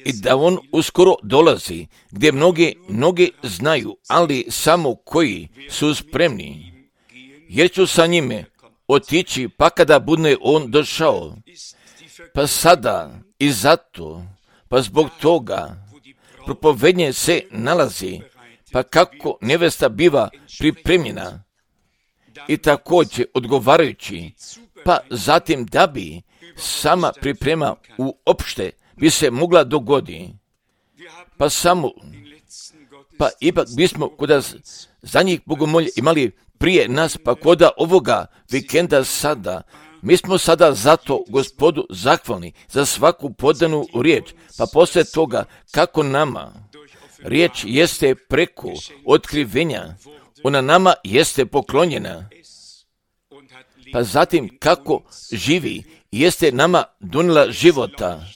i da on uskoro dolazi, gdje mnogi znaju, ali samo koji su spremni, jer ću sa njime otići, pa kada bude on došao. Pa sada i zato, pa zbog toga propovednje se nalazi, pa kako nevesta biva pripremljena i također odgovarajući, pa zatim da bi sama priprema uopšte bi se mogla dogoditi. Pa ipak bismo kod za njih bogomolje imali prije nas, pa kod ovoga vikenda sada, mi smo sada zato Gospodu zahvalni za svaku podanu riječ, pa poslije toga kako nama riječ jeste preko otkrivenja, ona nama jeste poklonjena, pa zatim kako živi, jeste nama donijela života,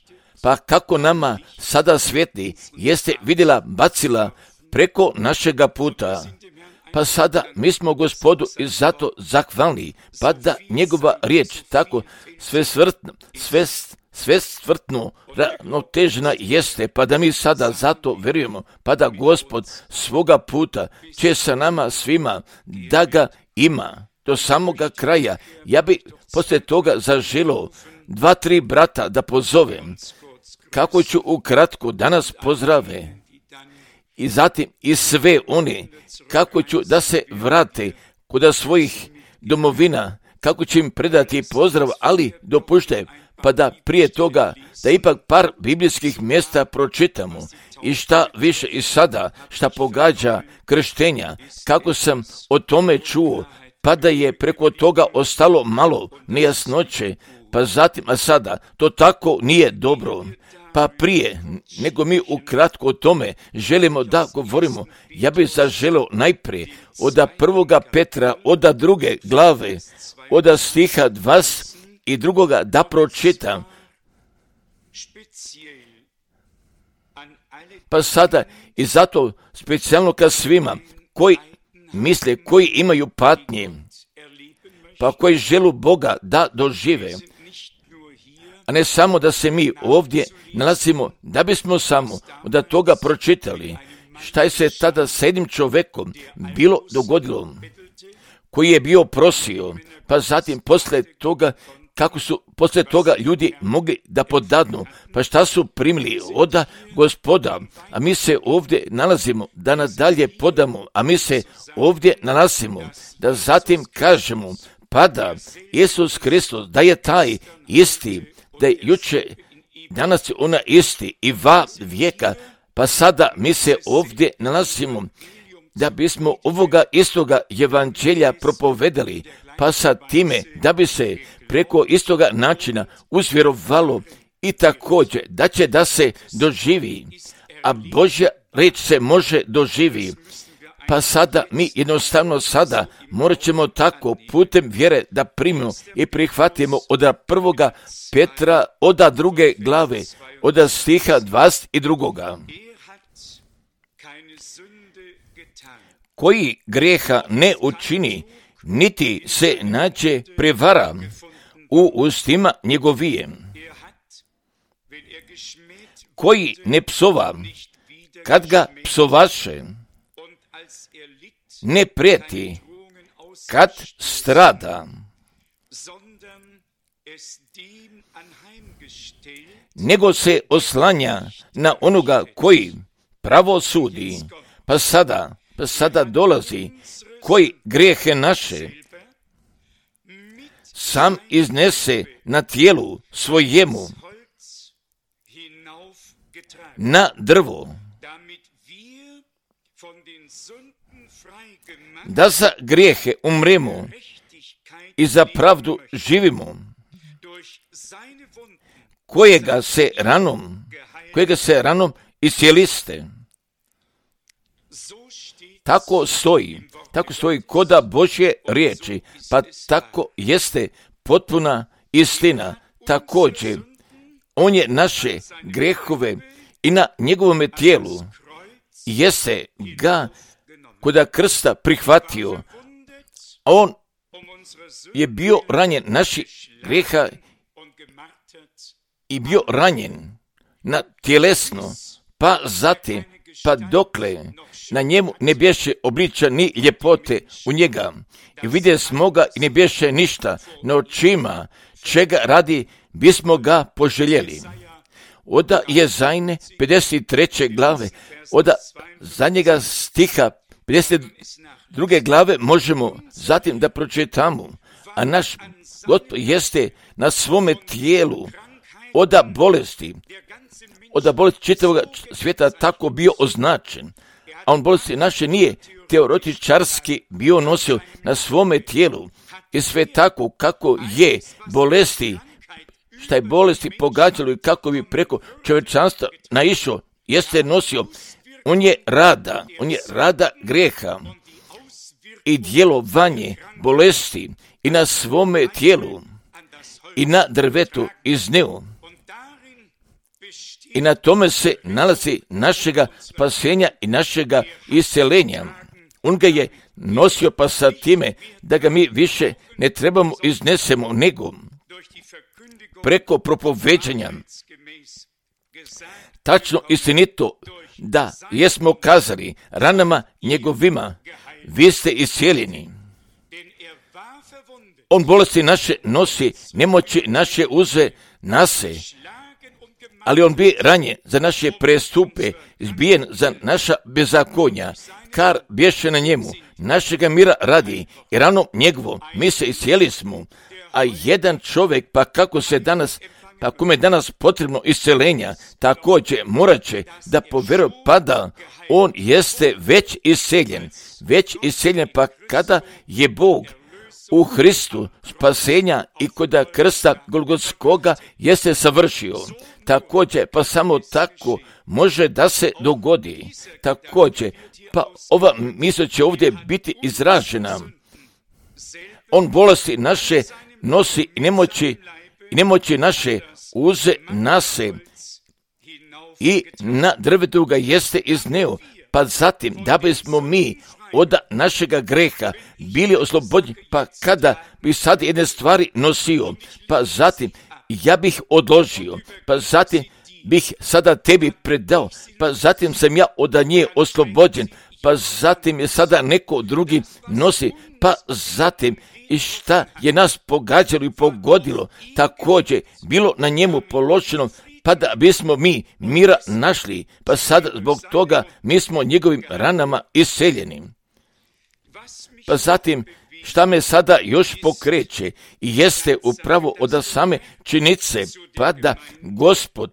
pa kako nama sada svijetli, jeste vidjela, bacila preko našega puta. Pa sada mi smo Gospodu i zato zahvalni, pa da njegova riječ tako sve stvrtno ravnotežna jeste, pa da mi sada zato vjerujemo, pa da Gospod svoga puta će sa nama svima da ga ima do samoga kraja. Ja bi poslije toga zaželio 2-3 brata da pozovem, kako ću ukratko danas pozdrave, i zatim i sve one, kako ću da se vrate kod svojih domovina, kako ću im predati pozdrav, ali dopušte, pa da prije toga, da ipak par biblijskih mjesta pročitamo, i šta više i sada, šta pogađa krštenja, kako sam o tome čuo, pa da je preko toga ostalo malo nejasnoće, pa zatim, a sada, to tako nije dobro. Pa prije nego mi ukratko o tome želimo da govorimo, ja bih zaželio najprije od 1. Petra, od 2. glave, od stiha 22. da pročitam. Pa sada i zato specijalno ka svima koji misle, koji imaju patnje, pa koji želu Boga da dožive, a ne samo da se mi ovdje nalazimo, da bismo samo od toga pročitali šta je se tada s jednim čovjekom bilo dogodilo, koji je bio prosio, pa zatim poslije toga, kako su poslije toga ljudi mogli da podadnu, pa šta su primili od Gospoda, a mi se ovdje nalazimo da nadalje podamo, a mi se ovdje nalazimo da zatim kažemo, pa da Isus Hristos, da je taj isti, da je juče, danas je ona isti i va vijeka, pa sada mi se ovdje nalazimo da bismo ovoga istoga evanđelja propovedali, pa sa time da bi se preko istoga načina uzvjerovalo i također da će da se doživi, a Božja riječ se može doživi. Pa sada mi jednostavno sada morat ćemo tako putem vjere da primimo i prihvatimo od 1. Petra, od 2. glave, od stiha 22. Koji grijeha ne učini, niti se nađe prevara u ustima njegovijem. Koji ne psova, kad ga psovaše, ne prijeti, kad strada, nego se oslanja na onoga koji pravo sudi, pa sada dolazi, koji grijehe naše sam iznese na tijelu svojemu, na drvo, da za grijehe umremo i za pravdu živimo, kojega se ranom iscijeliste. Tako stoji koda Božje riječi, pa tako jeste potpuna istina. Također, on je naše grehove i na njegovome tijelu jeste ga koda krsta prihvatio. On je bio ranjen naših greha i bio ranjen na tjelesno, pa zatim, pa dokle na njemu ne bješe obliča ni ljepote u njega. I vidje smo ga i ne bješe ništa na očima, čega radi bismo ga poželjeli. Oda Jezajne 53. glave, oda zadnjega stiha 52. glave možemo zatim da pročitamo, a naš Gospod jeste na svome tijelu od bolesti čitavog svijeta tako bio označen, a on bolesti naše nije teoretičarski bio nosio na svome tijelu i sve tako kako je bolesti, šta je bolesti pogađalo i kako bi preko čovječanstva naišao, jeste nosio. On je rada grijeha i djelovanje bolesti i na svome tijelu i na drvetu iznio. I na tome se nalazi našega spasenja i našega isceljenja. On ga je nosio pa sa time da ga mi više ne trebamo iznesemo nego preko propoveđanja. Tačno istinito da jesmo kazali ranama njegovima, vi ste iscijeljeni. On bolesti naše nosi, nemoći naše uze nase, ali on bi ranjen za naše prestupe, izbijen za naša bezakonja, kar bješe na njemu, našega mira radi i ranom njegovo mi se iscijeli smo, a jedan čovjek pa kome je danas potrebno isceljenja, također morat će da povjeruje pada, on jeste već isceljen pa kada je Bog u Hristu spasenja i kod krsta Golgotskoga jeste savršio. Također, pa samo tako može da se dogodi. Također, pa ova misl će ovdje biti izražena. On bolesti naše nosi i nemoći naše uze nase i na drvetu ga jeste izneo. Pa zatim, da bismo mi od našega greha bili oslobođeni, pa kada bi sad jedne stvari nosio, pa zatim ja bih odložio, pa zatim bih sada tebi predao, pa zatim sam ja od nje oslobođen, pa zatim je sada neko drugi nosi, pa zatim i šta je nas pogađalo i pogodilo, također bilo na njemu položeno, pa da bismo mi mira našli, pa sada zbog toga mi smo njegovim ranama isceljeni. Pa zatim, šta me sada još pokreće i jeste upravo od same činice, pa da Gospod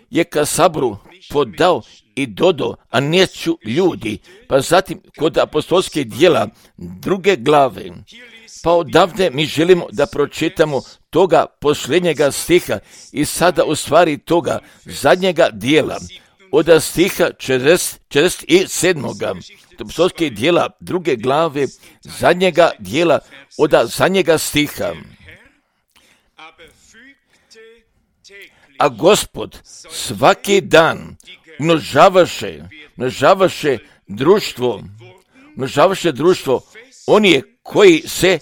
je ka saboru podao i dodao, a neću ljudi, pa zatim kod apostolske djela 2. glave, pa odavde mi želimo da pročitamo toga posljednjega stiha i sada u stvari toga zadnjega dijela, od stiha 47. apostolske djela 2. glave, zadnjega dijela, od zadnjega stiha. A Gospod svaki dan množavaše društvo, oni koji se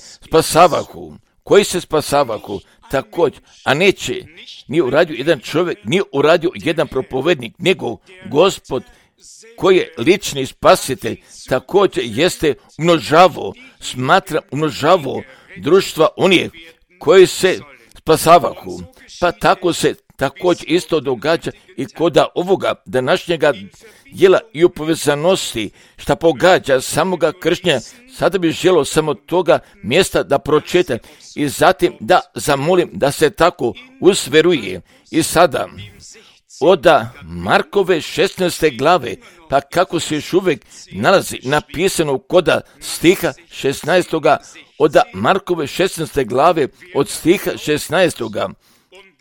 spasavahu, također, a neće, nije uradio jedan čovjek, nije uradio jedan propovednik, nego Gospod koji je lični spasitelj, također jeste umnožavao društva onih koji se spasavahu. Pa tako se također isto događa i kod ovoga današnjega djela i u povezanosti šta pogađa samoga kršnja. Sada bih želio samo toga mjesta da pročitam i zatim da zamolim da se tako usveruje. I sada od Markove 16. glave, pa kako se još uvijek nalazi napisano kod stiha 16. od Markove 16. glave od stiha 16.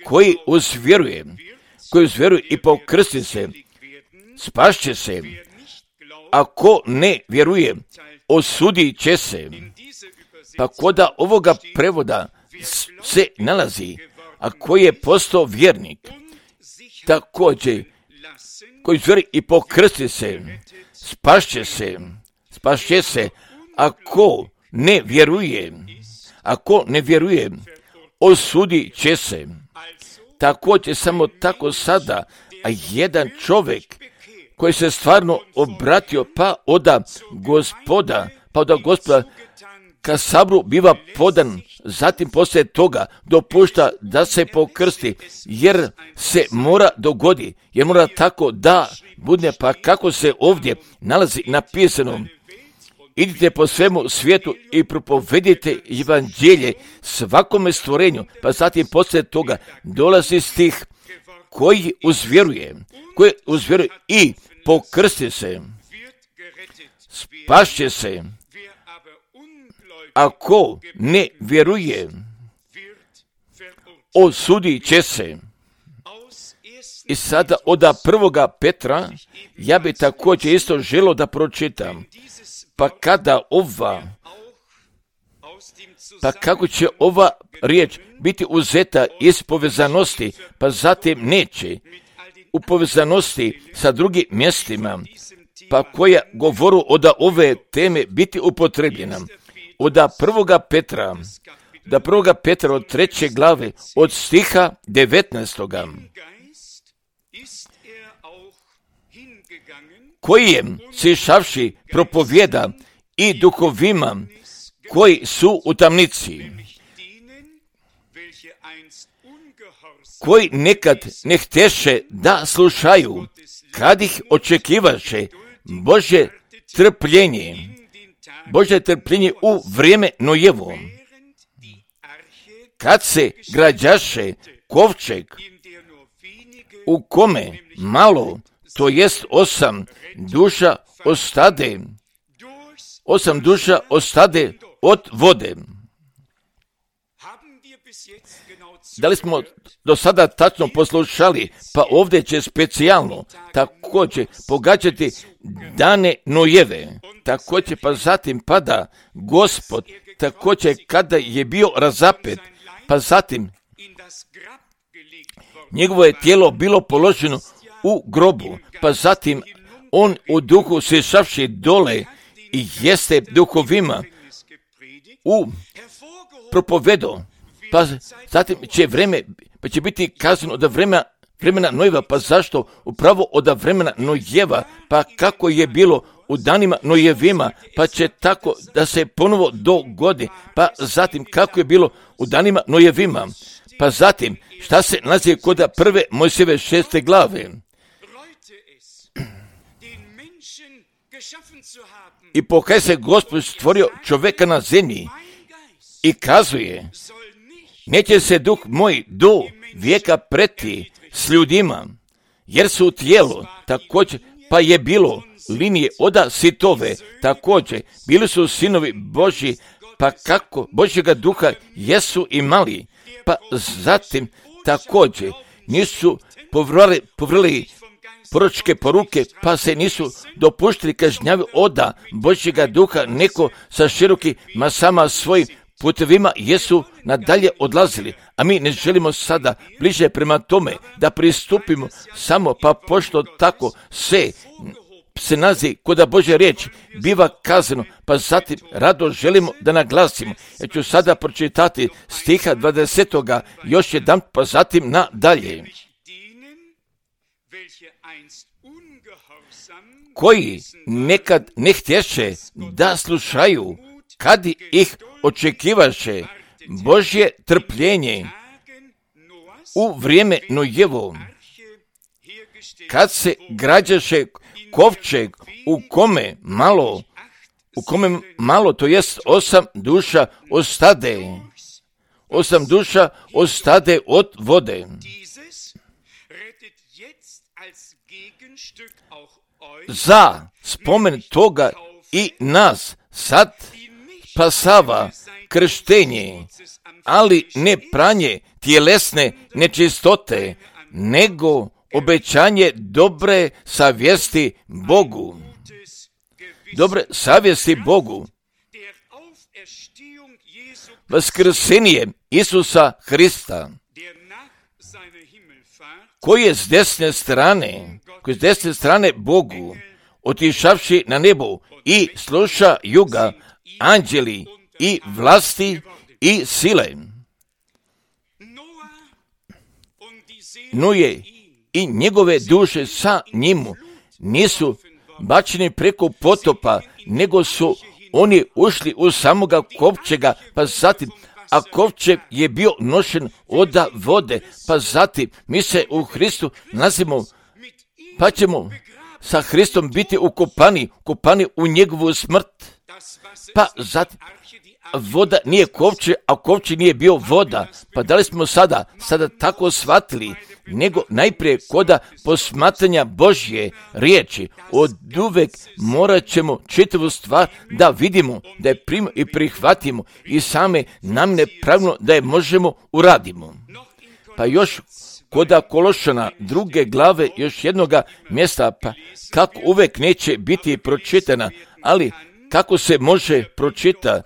koji uzvjeruje i pokrstit se, spašće se, a ko ne vjeruje, osudit će se. Pa kod ovoga prevoda se nalazi, a koji je postao vjernik, također, koji vjeruje i pokrstit se, spašće se, a ko ne vjeruje, osudit će se. Također samo tako sada, a jedan čovjek koji se stvarno obratio, pa oda gospoda ka sabru biva podan, zatim poslije toga dopušta da se pokrsti, jer se mora dogodi, jer mora tako da bude, pa kako se ovdje nalazi napisano: idite po svemu svijetu i propovedite evanđelje svakome stvorenju, pa zatim poslije toga dolazi stih: koji uzvjeruje i pokrsti se, spašće se, ako ne vjeruje, osudit će se. I sada od 1. Petra ja bi također isto želio da pročitam. Pa kako će ova riječ biti uzeta iz povezanosti, pa zatim neće u povezanosti sa drugim mjestima, pa koja govoru od ove teme biti upotrebljena. Od 1. Petra, od 3. glave, od stiha 19. koji je sišavši propovjeda i duhovima koji su u tamnici, koji nekad ne hteše da slušaju, kad ih očekivaše Božje trpljenje u vrijeme Nojevo, kad se građaše kovčeg, u kome malo, to jest 8 duša ostade od vode. Da li smo do sada tačno poslušali? Pa ovdje će specijalno također pogađati dane Nojeve. Također pa zatim pada Gospod, također kada je bio razapet, pa zatim njegovo je tijelo bilo položeno u grobu, pa zatim on u duhu sišavši dole i jeste duhovima u propovedo, pa zatim će biti kazano od vremena Nojeva. Pa zašto? Upravo od vremena Nojeva, pa kako je bilo u danima Nojevima, pa će tako da se ponovo dogodi, pa zatim kako je bilo u danima Nojevima, pa zatim šta se nalazi kod 1. Mojsijeve 6. glave. I pokaj se Gospod stvorio čovjeka na zemlji i kazuje: neće se duh moj do vijeka preti s ljudima, jer su u tijelu. Također pa je bilo linije oda sitove, također bili su sinovi Božji, pa kako Božjega duha jesu imali, pa zatim također nisu povrli proročke poruke, pa se nisu dopuštili kažnjavi oda Božjega duha, neko sa širokim masama svojim putevima jesu nadalje odlazili, a mi ne želimo sada bliže prema tome da pristupimo samo, pa pošto tako se nalazi kod Božje riječi biva kazano, pa zatim rado želimo da naglasimo. Ja ću sada pročitati stiha 20. još jedan, pa zatim nadalje. Koji nekad ne htješe da slušaju, kad ih očekivaše Božje trpljenje u vrijeme Nojevo, kad se građaše kovčeg, u kome malo, to jest 8 duša ostade od vode. Za spomen toga i nas sad spasava krštenje, ali ne pranje tjelesne nečistote, nego obećanje dobre savjesti Bogu. Dobre savjesti Bogu. Vaskrsenje Isusa Hrista, koji je s desne strane Bogu, otišavši na nebo, i slušaju ga anđeli i vlasti i sile. Noje i njegove duše sa njemu nisu bačeni preko potopa, nego su oni ušli u samoga kovčega, pa zatim, a kovčeg je bio nošen od vode, pa zatim mi se u Hristu nalazimo, pa ćemo sa Hristom biti ukopani u njegovu smrt. Pa zatim, voda nije kovče, a kovče nije bio voda. Pa da li smo sada tako shvatili, nego najprije koda posmatranja Božje riječi, od uvek morat ćemo čitavu stvar da vidimo, da je primimo i prihvatimo i same nam nepravno da je možemo uradimo. Pa još koda Kološana 2. glave još jednoga mjesta, pa kako uvek neće biti pročitana, ali kako se može pročita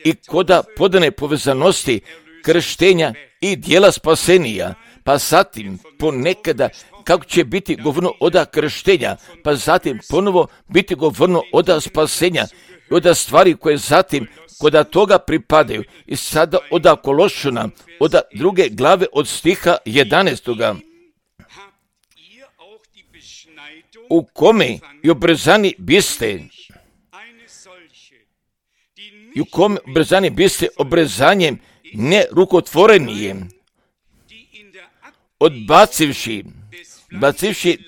i koda podane povezanosti krštenja i dijela spasenija, pa zatim ponekada kako će biti govorno oda krštenja, pa zatim ponovo biti govorno oda spasenja i oda stvari koje zatim koda toga pripadaju. I sada oda Kološana, oda 2. glave od stiha 11. U kome i obrzani biste, i u kome obrezani biste obrezanjem nerukotvorenije, odbacivši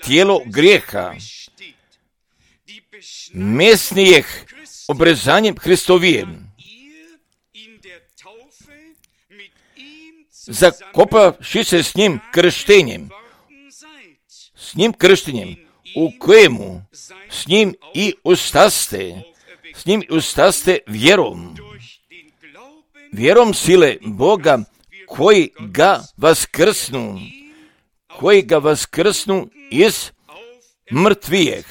tijelo grijeha, mesnijeh obrezanjem Hristovijem, zakopavši se s njim krštenjem, u kojemu s njim i ustaste vjerom sile Boga koji ga vaskrsnu iz mrtvijeh.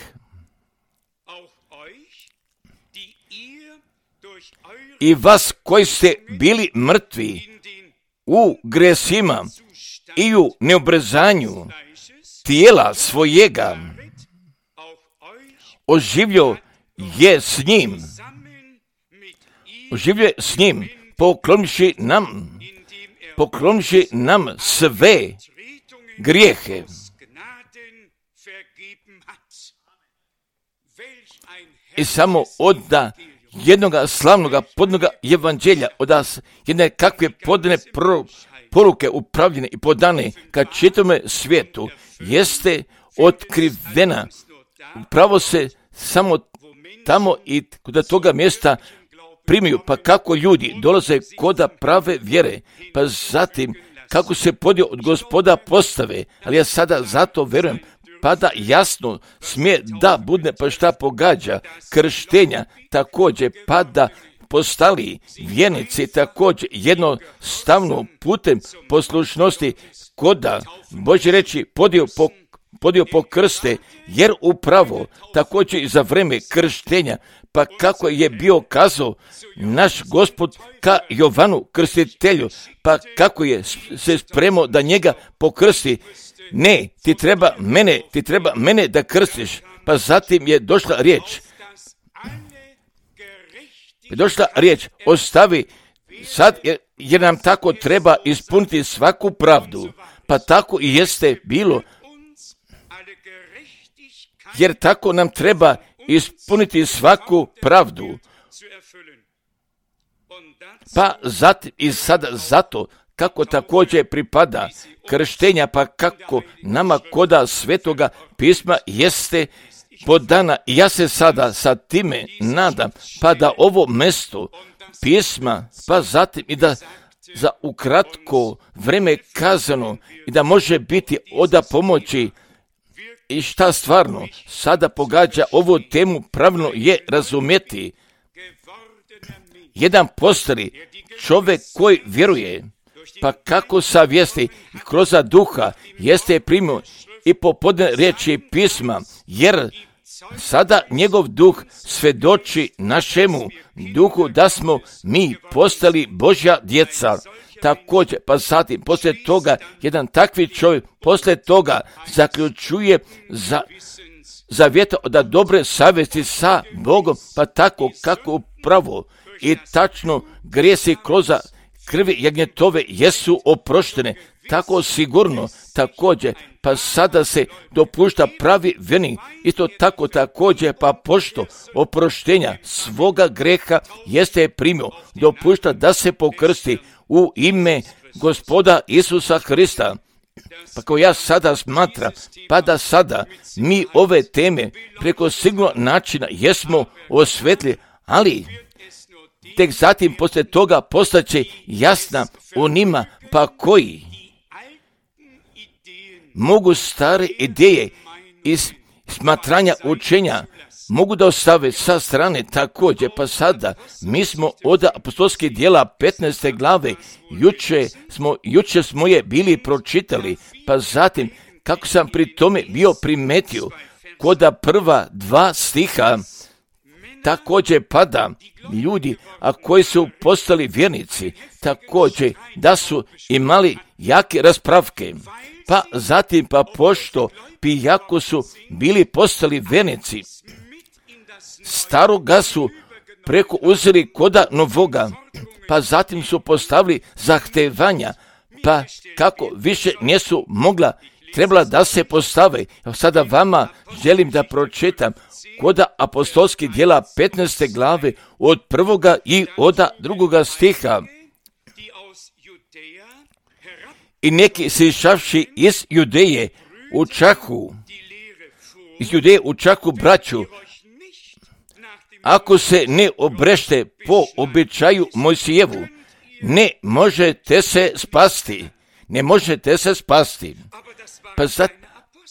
I vas koji ste bili mrtvi u gresima i u neobrezanju tijela svojega, oživio je s njim, poklonivši nam sve grijehe. I samo od jednoga slavnoga podnoga evanđelja, od jedne kakve podane poruke upravljene i podane ka čitome svijetu, jeste otkrivena. Upravo se samo tamo i kod toga mjesta primiju, pa kako ljudi dolaze koda prave vjere, pa zatim kako se podio od Gospoda postave, ali ja sada zato verujem, pa da jasno smije da bude, pa šta pogađa krštenja također, pa da postali vjernici također jednostavno putem poslušnosti koda Božje reći podio po krste, jer upravo također i za vreme krštenja, pa kako je bio kazao naš Gospod ka Jovanu krstitelju, pa kako je se spremao da njega pokrsti, ne, ti treba mene da krstiš, pa zatim je došla riječ, ostavi sad jer nam tako treba ispuniti svaku pravdu, pa tako i jeste bilo, jer tako nam treba ispuniti svaku pravdu. Pa zatim i sada zato kako također pripada krštenja, pa kako nama koda Svetoga pisma jeste podana. I ja se sada sa time nadam, pa da ovo mesto pisma, pa zatim i da za ukratko vreme kazano i da može biti oda pomoći i šta stvarno sada pogađa ovu temu pravno je razumjeti. Jedan postari čovjek koji vjeruje, pa kako savjesti i kroz duha jeste primio i popodne riječi pisma, jer sada njegov duh svedoči našemu duhu da smo mi postali Božja djeca. Također, pa zatim, poslije toga, jedan takvi čovjek, poslije toga zaključuje zavjeta da dobre savjesti sa Bogom, pa tako kako upravo i tačno grijesi kroz krvi jagnjetove jesu oproštene. tako sigurno također, pa sada se dopušta pravi vjernik, isto tako također, pa pošto oproštenja svoga greha jeste primio, dopušta da se pokrsti u ime Gospoda Isusa Hrista. Pa kao ja sada smatram, pa da sada mi ove teme preko sigurno načina jesmo osvetli, ali tek zatim poslije toga postaće jasna onima pa koji mogu stare ideje iz smatranja učenja mogu da ostave sa strane također, pa sada mi smo od apostolskih djela 15. glave, juče smo je bili pročitali, pa zatim kako sam pri tome bio primetio, koda prva 2 stiha, također pada ljudi, a koji su postali vjernici, također da su imali jake raspravke, pa zatim pa pošto pijako su bili postali vjernici, staroga su preko uzeli koda novoga, pa zatim su postavili zahtevanja, pa kako više nisu mogla, trebala da se postave. Sada vama želim da pročitam koda apostolskih djela 15. glave od 1. i od 2. stiha. I neki sišavši iz Judeje učahu braću, ako se ne obrešte po običaju Mojsijevu, ne možete se spasti. Pa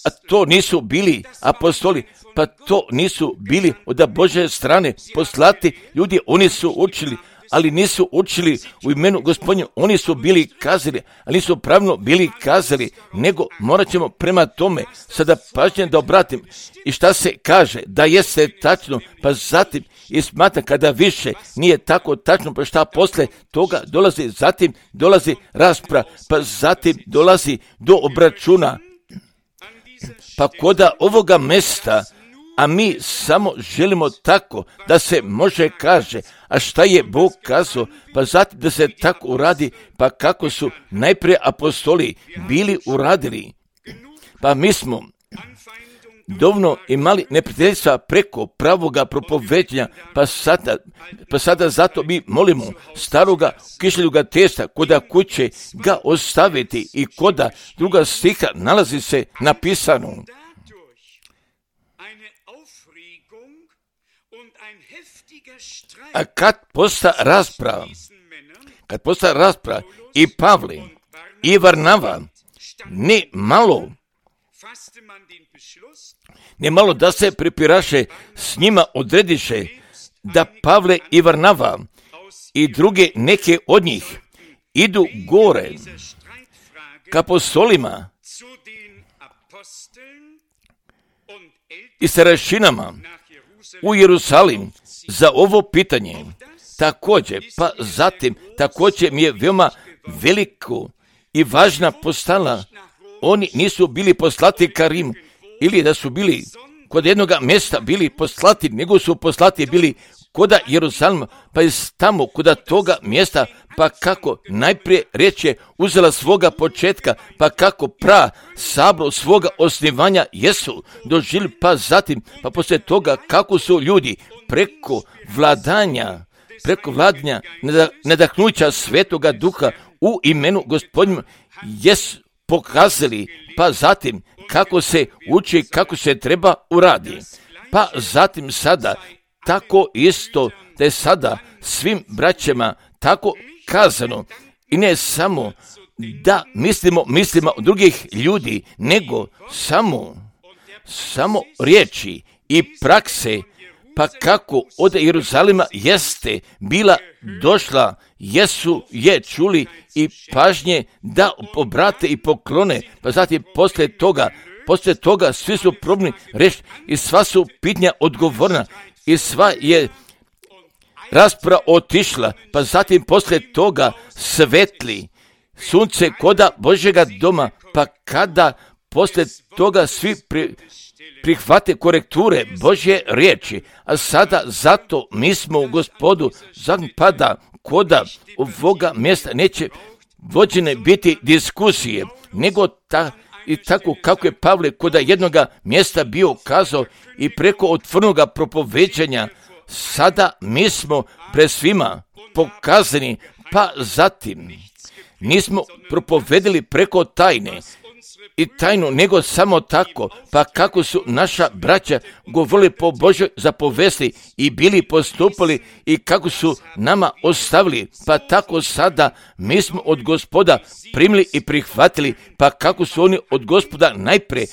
a to nisu bili apostoli, pa to nisu bili od Božje strane poslati ljudi, oni su učili, ali nisu učili u imenu Gospodnje, oni su bili kazali, ali nisu pravilno bili kazali, nego morat ćemo prema tome sada pažnje da obratim. I šta se kaže, da jeste tačno, pa zatim i smatra kada više nije tako tačno, pa šta posle toga dolazi, zatim dolazi rasprava, pa zatim dolazi do obračuna. Pa koda ovoga mesta, a mi samo želimo tako da se može kaže, a šta je Bog kazao, pa zatim da se tako uradi, pa kako su najprije apostoli bili uradili. Pa mi smo dovoljno imali neprijateljstva preko pravoga propoveđenja, pa sada zato mi molimo staroga kišljuga testa koda kuće ga ostaviti i koda 2. stiha nalazi se napisano. A kad posta rasprava i Pavle i Varnava ne malo da se prepiraše s njima odrediše da Pavle i Varnava i druge neke od njih idu gore ka apostolima i starešinama u Jerusalim za ovo pitanje. Također, pa zatim, također mi je veoma veliko i važna postala. Oni nisu bili poslati ka Rimu, ili da su bili kod jednog mjesta bili poslati, nego su poslati bili koda Jerusalima, pa je tamo koda toga mjesta, pa kako najprije riječ je uzela svoga početka, pa kako sabor svoga osnivanja jesu doživjeli, pa zatim, pa poslije toga kako su ljudi preko vladanja nadahnuća Svetoga Duha u imenu Gospodnjima jesu pokazali, pa zatim kako se uči, kako se treba uradi. Pa zatim sada tako isto da je sada svim braćama tako kazano i ne samo da mislimo od drugih ljudi, nego samo riječi i prakse, pa kako od Jeruzalima jeste bila došla, je čuli i pažnje da obrate i poklone, pa zatim poslije toga svi su probni reći i sva su pitanja odgovorna i sva je rasprava otišla, pa zatim poslije toga svetli sunce koda Božjega doma, pa kada poslije toga svi prihvate korekture Božje riječi, a sada zato mi smo u Gospodu, pada koda ovoga mjesta neće vođene biti diskusije, nego i tako kako je Pavle kod jednoga mjesta bio kazao i preko otvorenoga propoveđanja, sada mi smo pred svima pokazani, pa zatim nismo propovedili preko tajne i tajnu, nego samo tako, pa kako su naša braća govorili po Božoj zapovesti i bili postupali i kako su nama ostavili, pa tako sada mi smo od Gospoda primili i prihvatili, pa kako su oni od Gospoda najprije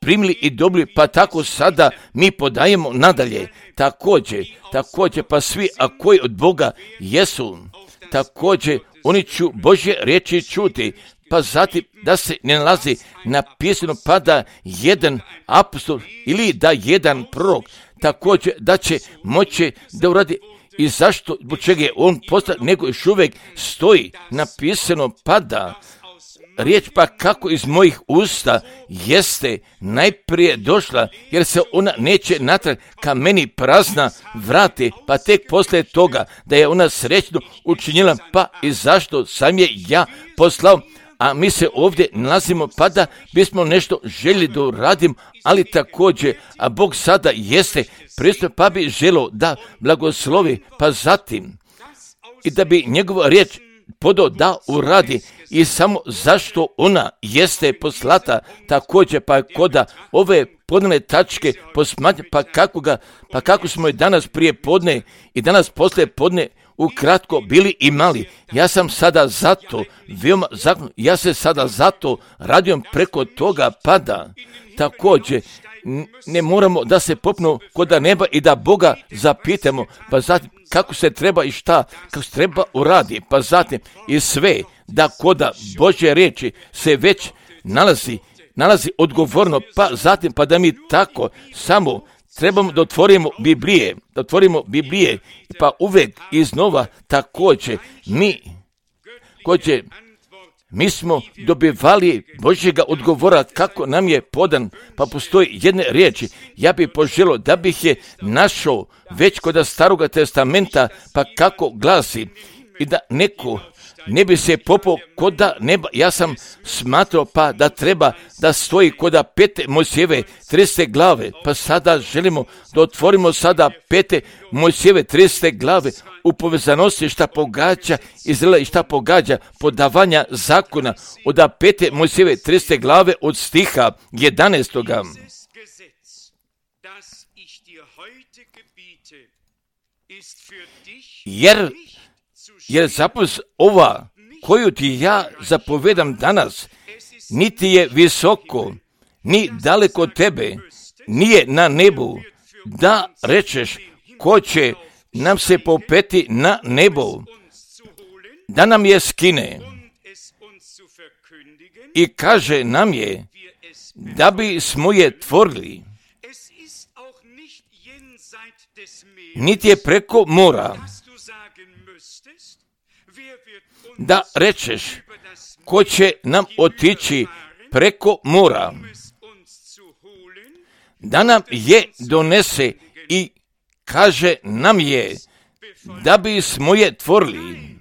primili i dobili, pa tako sada mi podajemo nadalje. Također, pa svi, a koji od Boga jesu, također oni ću Božje riječi čuti, pa zatim da se ne nalazi napisano pa da jedan apostol ili da jedan prorok također da će moći da uradi i zašto, zbog čega je on postao, nego još uvijek stoji napisano pa da riječ pa kako iz mojih usta jeste najprije došla, jer se ona neće natrag ka meni prazna vrati, pa tek poslije toga da je ona srećno učinila, pa i zašto sam je ja poslao. A mi se ovdje nalazimo pa da bismo nešto željeli da uradimo, ali također, a Bog sada jeste pristup pa bi želio da blagoslovi, pa zatim i da bi njegova riječ podao da uradi i samo zašto ona jeste poslata, također pa koda ove podne tačke posmatrati, pa kako smo je danas prije podne i danas poslije podne ukratko bili i mali. Ja sam sada zato veoma zakon, ja se sada zato radujem preko toga pada. Također ne moramo da se popnu kod neba i da Boga zapitamo, pa zatim kako se treba i kako se treba uradi, pa zatim i sve da koda Božje riječi se već nalazi odgovorno, pa zatim pa da mi tako samo trebamo da otvorimo Biblije, pa uvijek iznova također mi smo dobivali Božjega odgovora kako nam je podan, pa postoji jedne riječi. Ja bih poželio da bih je našao već kod Staroga testamenta, pa kako glasi i da neko ne bi se popao koda neba. Ja sam smatrao pa da treba da stoji koda 5. Mojsijeve 30. glave, pa sada želimo da otvorimo sada 5. Mojsijeve 30. glave u povezanosti šta pogađa Izraela i šta pogađa podavanja zakona od 5. Mojsijeve 30. glave od stiha 11. Jer zapovest ova koju ti ja zapovedam danas, niti je visoko, ni daleko od tebe, nije na nebu, da rečeš ko će nam se popeti na nebo, da nam je skine i kaže nam je da bi smo je tvorili, niti je preko mora, da rečeš ko će nam otići preko mora, da nam je donese i kaže nam je da bi smo je tvorili,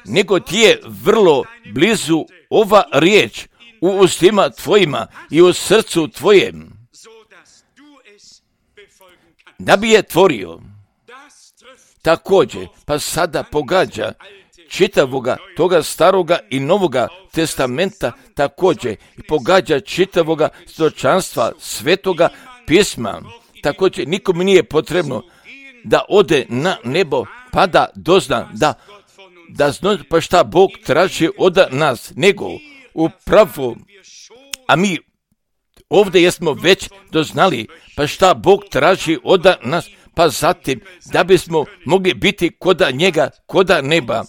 nego ti je vrlo blizu ova riječ u ustima tvojima i u srcu tvojem, da bi je tvorio. Također, pa sada pogađa čitavoga toga staroga i novoga testamenta, također i pogađa čitavoga stočanstva svetoga pisma. Također, nikom nije potrebno da ode na nebo pa da dozna, da zna pa šta Bog traži od nas, nego upravo, a mi ovdje jesmo već doznali pa šta Bog traži od nas, pa zatim da bismo mogli biti koda njega, koda neba.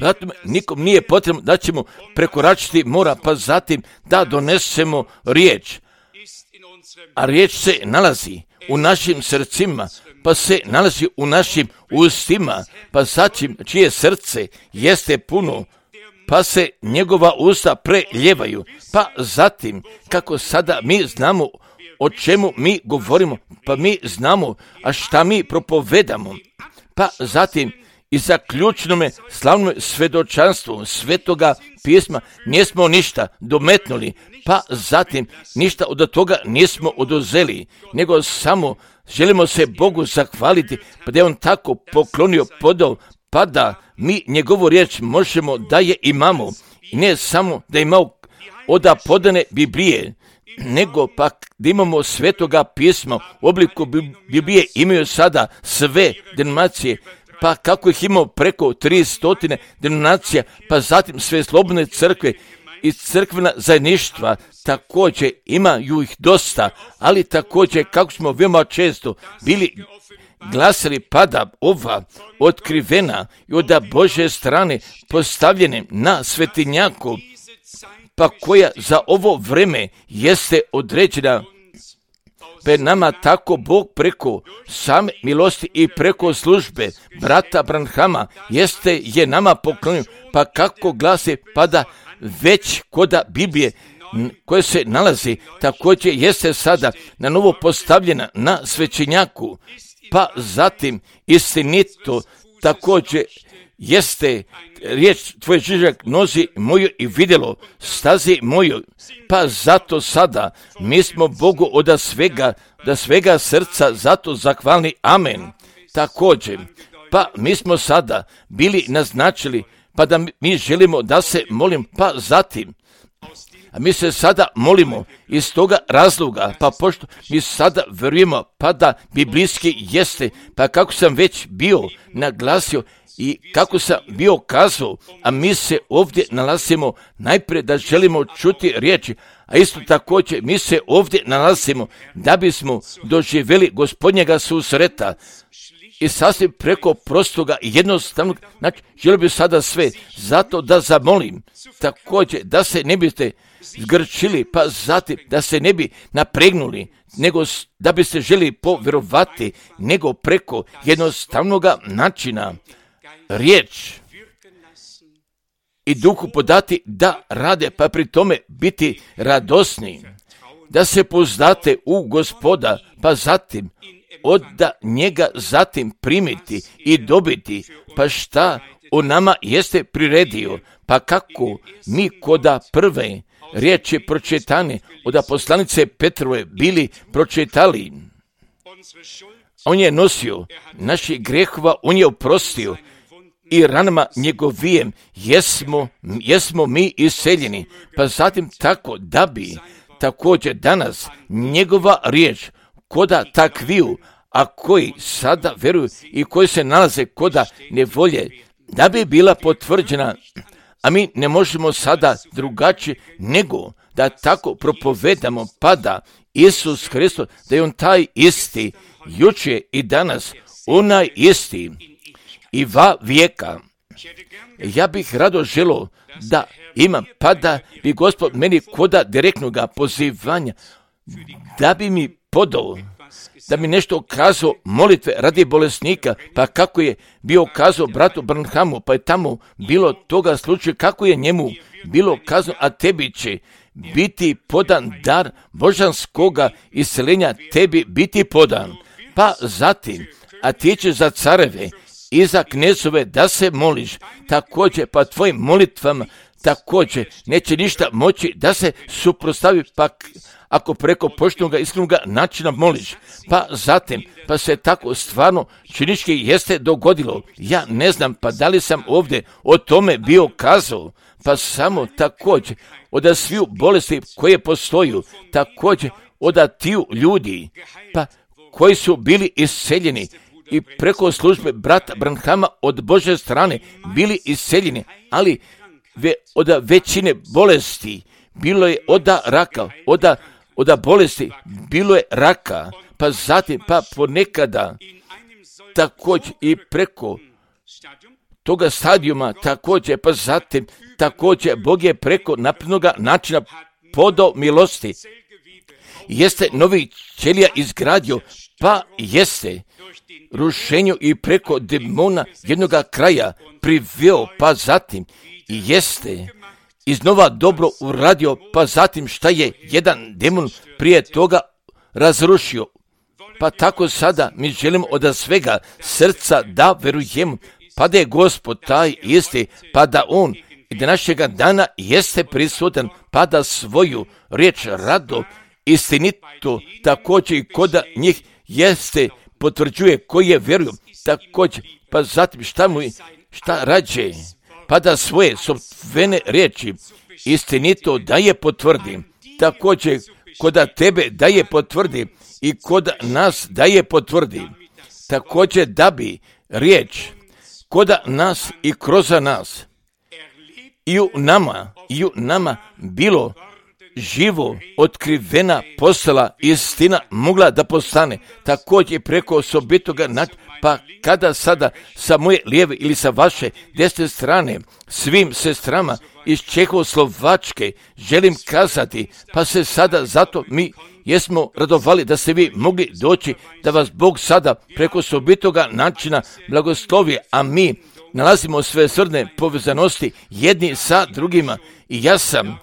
Zatim nikom nije potrebno da ćemo prekoračiti mora, pa zatim da donesemo riječ. A riječ se nalazi u našim srcima, pa se nalazi u našim ustima, pa zatim čije srce jeste puno, pa se njegova usta preljevaju, pa zatim kako sada mi znamo o čemu mi govorimo, pa mi znamo, a šta mi propovedamo, pa zatim i za ključnome slavnom svedočanstvu Svetoga pisma nismo ništa dometnuli, pa zatim ništa od toga nismo oduzeli, nego samo želimo se Bogu zahvaliti, pa da je On tako poklonio, podao, pa da mi njegovu riječ možemo da je imamo, i ne samo da imamo od podane Biblije, nego pak da imamo Svetoga pisma u obliku Biblije imaju sada sve denominacije, pa kako ih imamo preko 300 denominacija, pa zatim sve slobodne crkve i crkvena zajedništva, također imaju ih dosta, ali također kako smo veoma često bili glasili, pada ova otkrivena i od Božje strane postavljene na svetinjaku, pa koja za ovo vreme jeste određena pred nama, tako Bog preko same milosti i preko službe brata Branhama je nama poklonio, pa kako glasi, pada već koda Biblije koje se nalazi, također jeste sada na novo postavljena na svećenjaku, pa zatim istinito također jeste riječ tvoj žižak nozi moju i vidjelo stazi moju, pa zato sada mi smo Bogu od svega srca zato zahvalni, amen. Također, pa mi smo sada bili naznačili, pa da mi želimo da se molim, pa zatim, a mi se sada molimo iz toga razloga, pa pošto mi sada vjerujemo, pa da biblijski jeste, pa kako sam već bio naglasio i kako sam bio kazao, a mi se ovdje nalazimo najprije da želimo čuti riječi, a isto također mi se ovdje nalazimo da bismo doživjeli Gospodnjega susreta i sasvim preko prostoga i jednostavnog, znači želio bih sada sve, zato da zamolim također da se ne biste zgrčili, pa zatim da se ne bi napregnuli, nego da biste želi povjerovati, nego preko jednostavnog načina riječ i duhu podati da rade, pa pri tome biti radosni, da se pouzdate u Gospoda, pa zatim od njega zatim primiti i dobiti, pa šta on nama jeste priredio, pa kako mi koda prve riječi pročitane od poslanice Petrove bili pročitali. On je nosio naših grehova, on je oprostio i ranama njegovijem jesmo mi iseljeni, pa zatim tako da bi također danas njegova riječ koda takviju, a koji sada vjeruju i koji se nalaze koda nevolje, da bi bila potvrđena, a mi ne možemo sada drugačije nego da tako propovedamo, pa da Isus Hristos, da je On taj isti, jučer i danas, onaj isti i va vijeka. Ja bih rado želio da imam, pa da bi Gospod meni koda direktnog pozivanja, da bi mi podao, da mi nešto kazao molitve radi bolesnika, pa kako je bio kazao bratu Branhamu, pa je tamo bilo toga slučaja, kako je njemu bilo kazano, a tebi će biti podan dar božanskoga isceljenja, tebi biti podan. Pa zatim, a ti će za careve i za knezove da se moliš, također pa tvojim molitvama također neće ništa moći da se suprotstavi, pa ako preko poštenog iskrenog načina moliš, pa zatim, pa se tako stvarno činički jeste dogodilo. Ja ne znam, pa da li sam ovdje o tome bio kazao, pa samo također od sviju bolesti koje postoju, također od tiju ljudi, pa koji su bili iseljeni i preko službe brata Branhama od Božje strane bili iseljeni, ali od većine bolesti bilo je od raka, od bolesti bilo je raka, pa zatim, pa ponekada također i preko toga stadijuma također, pa zatim također Bog je preko naprednog načina podao milosti. Jeste novi ćelija izgradio, pa jeste rušenju i preko demona jednog kraja priveo, pa zatim jeste iznova dobro uradio, pa zatim šta je jedan demon prije toga razrušio. pa tako sada mi želimo od svega srca da verujemo, pa da je Gospod taj isti, pa da On i da našega dana jeste prisutan, pa da svoju riječ rado, istinito, također i koda njih jeste potvrđuje koji je vjeruju, također, pa zatim šta rađe, pa da svoje sopstvene riječi istinito da je potvrdi, također koda tebe da je potvrdi i koda nas da je potvrdi, također da bi riječ koda nas i kroz nas i u nama bilo živo otkrivena postala istina mogla da postane, također preko osobitoga načina, pa kada sada sa moje lijeve ili sa vaše desne strane svim sestrama iz Čehoslovačke želim kazati, pa se sada zato mi jesmo radovali da ste vi mogli doći, da vas Bog sada preko osobitoga načina blagoslovi, a mi nalazimo sve srdne povezanosti jedni sa drugima i ja sam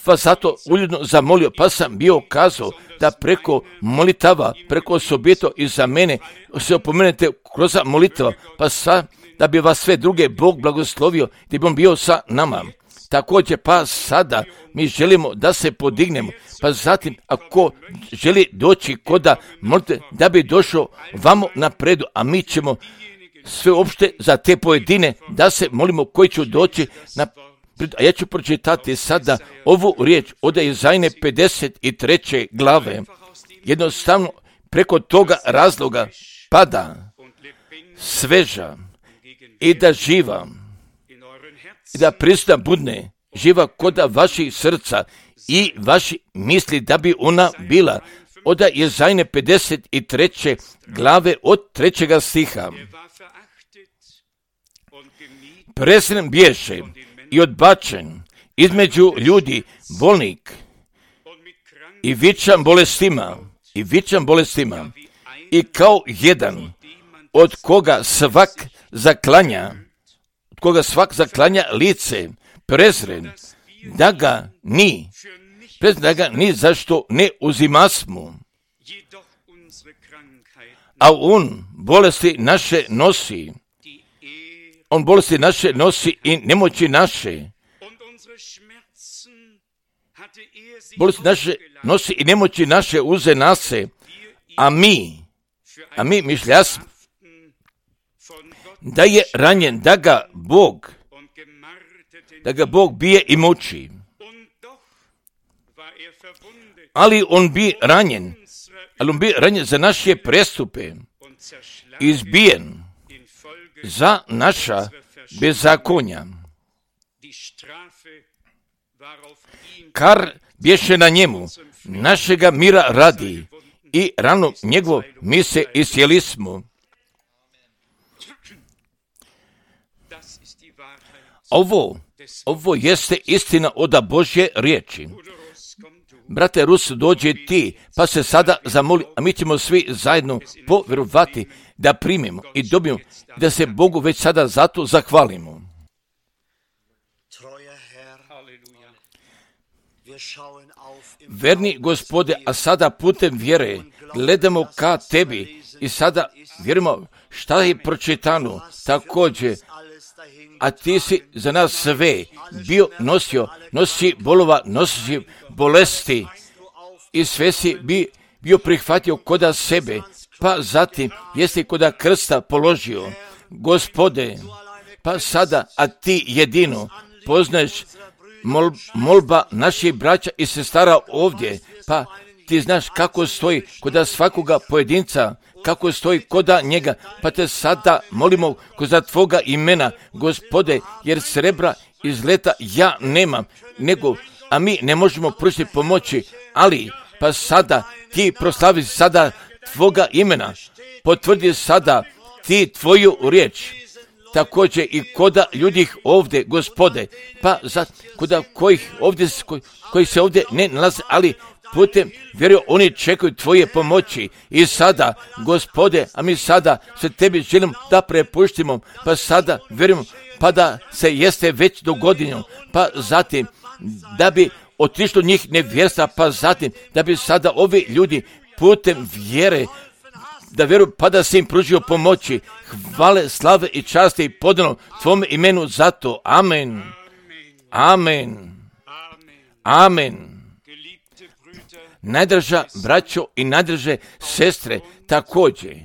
vas zato uljudno zamolio, pa sam bio kazao da preko molitava, preko osobito i za mene se opomenete kroz molitava, pa da bi vas sve druge Bog blagoslovio, da bi on bio sa nama. Također pa sada mi želimo da se podignemo, pa zatim ako želi doći koda molite da bi došao vamo napredu, a mi ćemo sve opšte za te pojedine da se molimo koji će doći na. A ja ću pročitati sada ovu riječ od Izajne 53. glave. Jednostavno preko toga razloga pada sveža i da živa i da prisutna budne živa koda vaših srca i vaši misli da bi ona bila. Od Izajne 53. glave od 3. stiha. Prezren bješe i odbačen između ljudi bolnik i vičan bolestima i kao jedan od koga svak zaklanja lice, prezren da ga ni zašto ne uzimasmo, a on bolesti naše nosi. On bolesti naše nosi i nemoći naše. Bolesti naše nosi i nemoći naše uze nase. A mi mišljasmo da je ranjen, da ga Bog bije i muči. Ali on bi ranjen za naše prestupe, izbijen za naša bezakonja. Kar bješe na njemu, našega mira radi i rano njegovo mi se iscijeli smo. Ovo jeste istina od Božje riječi. Brate Rus, dođi ti, pa se sada zamoli, a mi ćemo svi zajedno povjerovati da primimo i dobijemo, da se Bogu već sada zato zahvalimo. Verni Gospode, a sada putem vjere gledamo ka tebi i sada vjerujemo šta je pročitano također, a ti si za nas sve nosi bolova, nosi bolesti i sve si bio prihvatio koda sebe, pa zatim jesi koda krsta položio. Gospode, pa sada, a ti jedino poznaješ molba naših braća i sestara ovdje, pa ti znaš kako stoji koda svakoga pojedinca, kako stoji koda njega, pa te sada molimo koda tvoga imena, Gospode, jer srebra i zlata ja nemam, a mi ne možemo pružiti pomoći, ali pa sada ti proslavi sada tvoga imena, potvrdi sada ti tvoju riječ, također i koda ljudi ovdje, Gospode, pa koda koji se ovdje ne nalaze, ali putem vjeruju oni čekaju tvoje pomoći i sada, Gospode, a mi sada se tebi želimo da prepuštimo, pa sada vjerujemo, pa da se jeste već dogodilo, pa zatim da bi otišlo njih nevjerstva, pa zatim da bi sada ovi ljudi putem vjere, da vjeruju, pa da si im pružio pomoći. Hvale, slave i časti i podano Tvome imenu zato. Amen. Amen. Amen. Najdraža braćo i najdraže sestre, također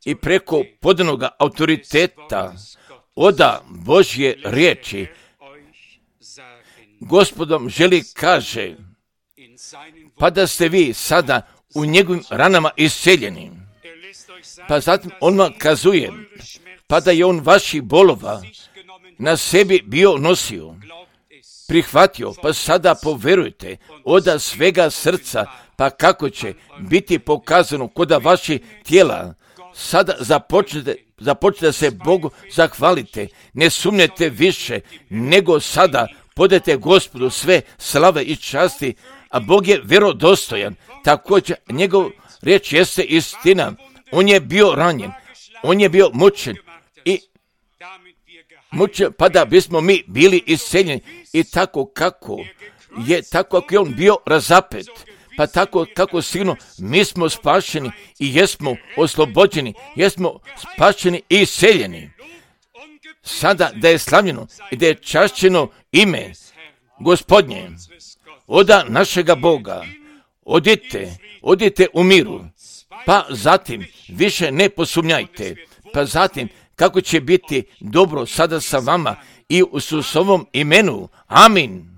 i preko podanoga autoriteta oda Božje riječi, Gospodom želi kaže, pa da ste vi sada u njegovim ranama isceljeni. Pa zatim on vam kazuje, pa da je on vaših bolova na sebi bio nosio, prihvatio, pa sada poverujte oda svega srca, pa kako će biti pokazano koda vaši tijela. Sada započnete se Bogu zahvalite, ne sumnjete više, nego sada podajte Gospodu sve slave i časti, a Bog je vjerodostojan. Također njegov riječ jeste istina. On je bio ranjen, on je bio mučen i mučen, pa da bismo mi bili isceljeni. I tako kako je on bio razapet, pa tako kako sigurno mi smo spašeni i jesmo oslobođeni, jesmo spašeni i isceljeni. Sada da je slavljeno i da je čašćeno ime Gospodnje, oda našega Boga, odite u miru, pa zatim više ne posumnjajte, pa zatim kako će biti dobro sada sa vama i u Isusovom imenu. Amin.